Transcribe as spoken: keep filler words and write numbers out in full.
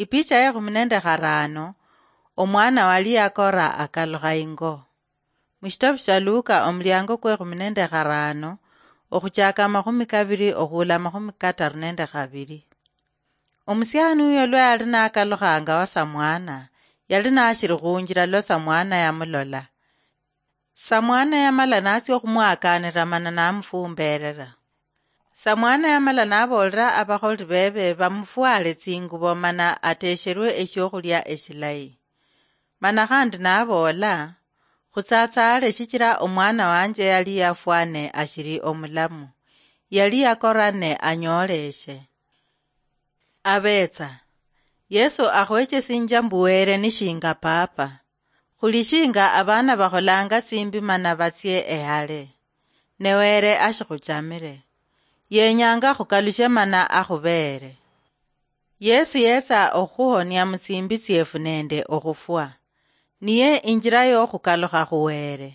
Ipicha yekhumi nende kharano. Omwana wali yakora akalukha ingo. Mushitabu sha Luka, omuliango kwekhumi nende kharano, okhuchaka amakhumi kabiri okhula amakhumi kataru nende khabiri. Omusiani uyo lwa yali nakalukhanga wa samwana, yali nashiri khunjira lwa samwana yamulola. Samwana yamala natsia okhumwakanira mana namufumberera. Samwana yamala nabolera abakholi bebe bamufwale tsingubo mana atesherwe eshiokhulia eshilayi. Mana khandi nabola, "Khutsatsale shichira omwana wanje yali yafwane ashiri omulamu. Yali yakorane anyoleshe." Abetsa. Yesu akhwechesinja mbu Were ni shinga Papa. Khuli shinga abana bakholanga tsimbi mana batsie ehale. Ne Were ashikhuchamire. Yenyanga khukalushe mana akhubere. Yesu yetsa okhuhonia mutsimbi tsiefu nende okhufwa. Niye injira yokhukalukha khu Were.